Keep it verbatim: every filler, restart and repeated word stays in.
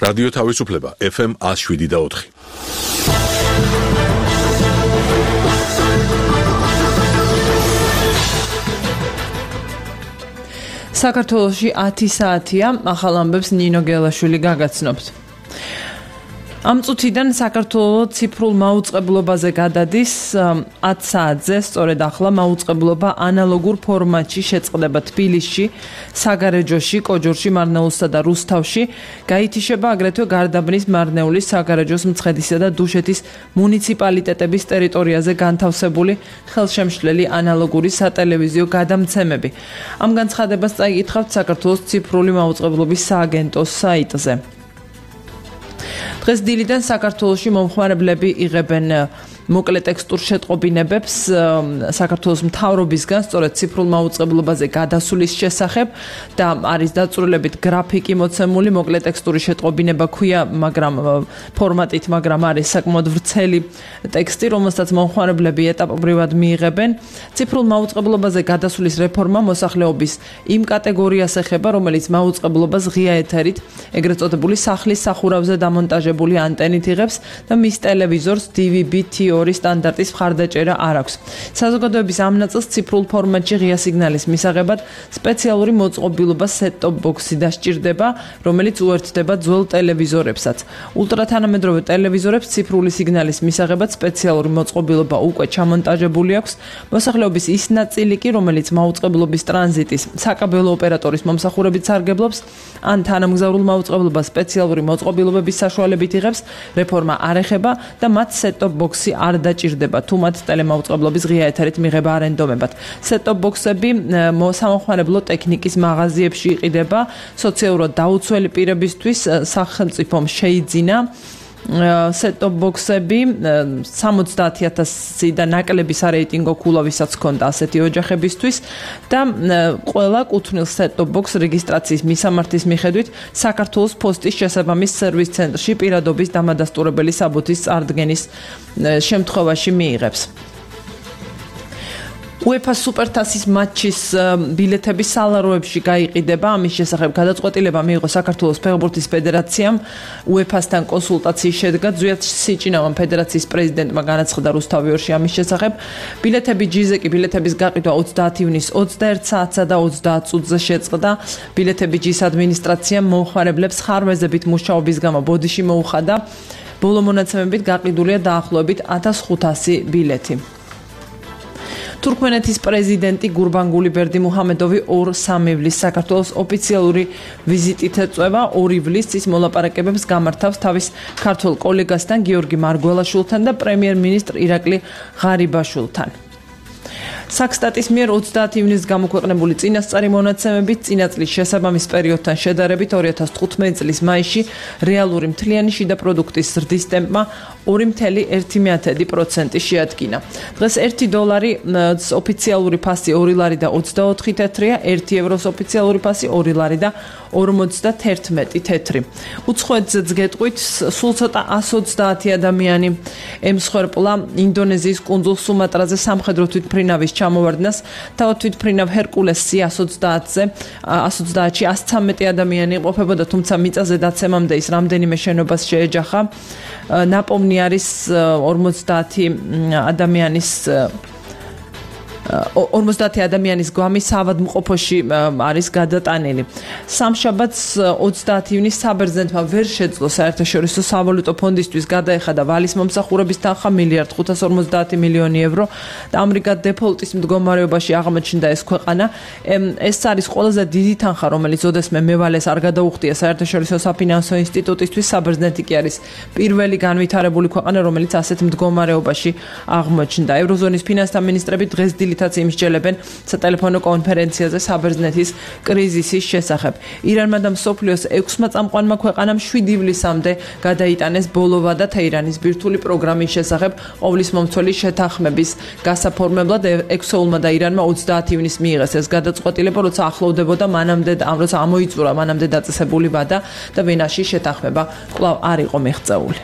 რადიო თავისუფლება ეფ ემ one oh seven და four. საქართველოში ათი საათია, ახალ ამბებს ნინო გელაშვილი გაგაცნობთ. Am წუთიდან საქართველოს ციფრულ მაუწყებლობაზე გადადის ათი საათზე, სწორედ ახლა მაუწყებლობა ანალოგურ ფორმატში შეწყდება თბილისში, საგარეჯოში, კოჯორში, მარნეულსა და რუსთავში, გაითიშება აგრეთვე გარდაბნის, მარნეულის, საგარეჯოს, მცხეთისა და დუშეთის მუნიციპალიტეტების ტერიტორიაზე განთავსებული ხელშემშლელი ანალოგური სატელევიზიო გადამცემები. Ამ განცხადებას წაიკითხავთ საქართველოს ციფრული მაუწყებლობის სააგენტოს საიტზე. დღეს დილიდან საქართველოში მომხმარებლები იღებენ მოკლე ტექსტურ შეტყობინებებს საქართველოს მთავრობისგან სწორედ ციფრულ მაუწყებლობაზე გადასulis შესახებ და არის დაწვრილებით გრაფიკი მოცემული მოკლე ტექსტური შეტყობინება ქვია, მაგრამ ფორმატით, მაგრამ არის საკმაოდ ვრცელი ტექსტი, რომელსაც მომხმარებლები ეტაპობრივად მიიღებენ. ციფრულ მაუწყებლობაზე გადასulis რეფორმა მოსახლეობის იმ კატეგორიას ეხება, რომელიც მაუწყებლობას ღია ეთერით, ეგრეთ წოდებული სახლის სახურავზე დამონტაჟებული ანტენით იღებს და მის ტელევიზორს დი ვი ბი თი ორი სტანდარტის მხარდაჭერა არ აქვს. საზოგადოების ამ ნაწილს ციფრულ ფორმატში ღია სიგნალის მისაღებად სპეციალური მოწყობილობა set-top box-ი დასჭირდება, რომელიც უერთდება ძველ ტელევიზორებსაც. ულტრათანამედროვე ტელევიზორებს ციფრული სიგნალის მისაღებად სპეციალური მოწყობილობა უკვე ჩამონტაჟებული აქვს. მოსახლეობის ის ნაწილი კი, რომელიც მაუწყებლობის ტრანზიტის საკაბელო ოპერატორის მომსახურებით სარგებლობს, ან თანამგზავრულ მაუწყებლობას სპეციალური მოწყობილობების საშუალებით იღებს, რეფორმა არ ეხება და მათ set-top box-ი არ დაჭირდება თუ მათ ტელემაუწყებლობის ღია ეთერით მიღება არ ენდომებათ. set-top box-ები სამომხმარებლო ტექნიკის მაღაზიებში იყიდება, სოციალურად დაუცველი პირებისთვის სახელმწიფომ შეიძინა set-top box-ები სამოცდაათი ათასი და ნაკლები სარეიტინგო ქულა, ვისაც ჰქონდა ასეთი ოჯახებისთვის და ყველა კუთვნილ set-top box რეგისტრაციის მისამართის მიხედვით საქართველოს პოსტის შესაბამის სერვის ცენტრში პირადობის დამადასტურებელი საბუთის წარდგენის შემთხვევაში მიიღებს. UEFA სუპერთასის მატჩის ბილეთები სალაროებში გაიყიდება. ამის შესახებ გადაწყვეტილება მიიღო საქართველოს ფეხბურთის ფედერაციამ. UEFA-სთან კონსულტაციის შედეგად ზვიად სიჭინავამ ფედერაციის პრეზიდენტმა განაცხადა რუსთავი ორში ამის შესახებ. ბილეთები ჯიზე კი ბილეთების გაყიდვა ოცდაათი ივნის ოცდაერთ საათსა და ოცდაათ წუთზე შეწყდა. ბილეთები ჯის ადმინისტრაციამ მომხმარებლებს ხარვეზებით მუშაობის გამო ბოდიში მოუხადა. ბოლო მონაცემებით გაყიდულია დაახლოებით ათას ხუთასი ბილეთი. თურქმენეთის პრეზიდენტი გურბანგული ბერდიმუჰამედოვი ორ სამი ივლის საქართველოს ოფიციალური ვიზიტით ეწევა. ორ ივლისს ის მოლაპარაკებებს გამართავს თავის ქართველ კოლეგასთან გიორგი მარგველაშვილთან და პრემიერ-მინისტრ ირაკლი ღარიბაშვილთან. საქსტატის მიერ ოცდაათი ივნისს გამოქვეყნებული წინასწარი მონაცემებით წინა წლის შესაბამის პერიოდთან შედარებით ორი ათას თხუთმეტი წლის მაისში რეალური მთლიანი შიდა პროდუქტის ზრდის ტემპმა ორი ათეული ერთი პროცენტი შეადგინა. დღეს ერთი დოლარი ოფიციალური ფასი ორი ლარი და ოცდაოთხი თეთრია, ერთი ევროს ოფიციალური ფასი ორი ლარი და ორმოცდათერთმეტი თეთრი. უცხოეთზეც გეტყვით, სულ ცოტა ასი ოცდაათი ადამიანი ემსხვერპლა ინდონეზიის კუნძულ სუმატრაზე სამხედრო თვითმფრინავის ჩამოვარდნას. თავად თვითმფრინავ ჰერკულესი ასი ოცდაათზე ასი ოცდაათში ასი ცამეტი ადამიანი იმყოფებოდა, თუმცა მიწაზე დაცემამდე ის რამდენიმე შენობას შეეჯახა. ნაპოვნი არის ორმოცდაათი ადამიანის ორმოცდაათი ადამიანის გვამი საავადმყოფოში არის გადატანილი. სამშაბათს ოცდაათი ივნის საბერძნეთმა ვერ შეძლო საერთაშორისო სავალუტო ფონდისთვის გადაეხადა ვალის მომსახურების თანხა მილიარდ ხუთას ორმოცდაათი მილიონი ევრო და ამრიგად დეფოლტის მდგომარეობაში აღმოჩნდა ეს ქვეყანა. ეს არის ყველაზე დიდი თანხა, რომელიც ოდესმე მევალეს არ გადაუხდია საერთაშორისო საფინანსო ინსტიტუტისთვის. საბერძნეთი კი არის პირველი განვითარებული ქვეყანა, რომელიც ასეთ მდგომარეობაში აღმოჩნდა. ევროზონის ფინანსთა მინისტრები დღეს დილით იმსჯელებენ სატელეფონო კონფერენციაზე საბერძნეთის კრიზისის შესახებ. ირანმა და მსოფლიოს ექვსმა წამყვანმა ქვეყანამ შვიდი ივლისამდე გადაიტანეს ბოლოვა და თეირანის ბირთვული პროგრამის შესახებ ყოვლის მომცველი შეთანხმების გასაფორმებლად ექსოულმა და ირანმა ოცდაათი ივნისს მიიღეს ეს გადაწყვეტილება, როცა ახლოვდებოდა მანამდე როცა ამოიწურა მანამდე დაწესებული ვადა და ვენაში შეთანხმება კვლავ არ იყო მიღწეული.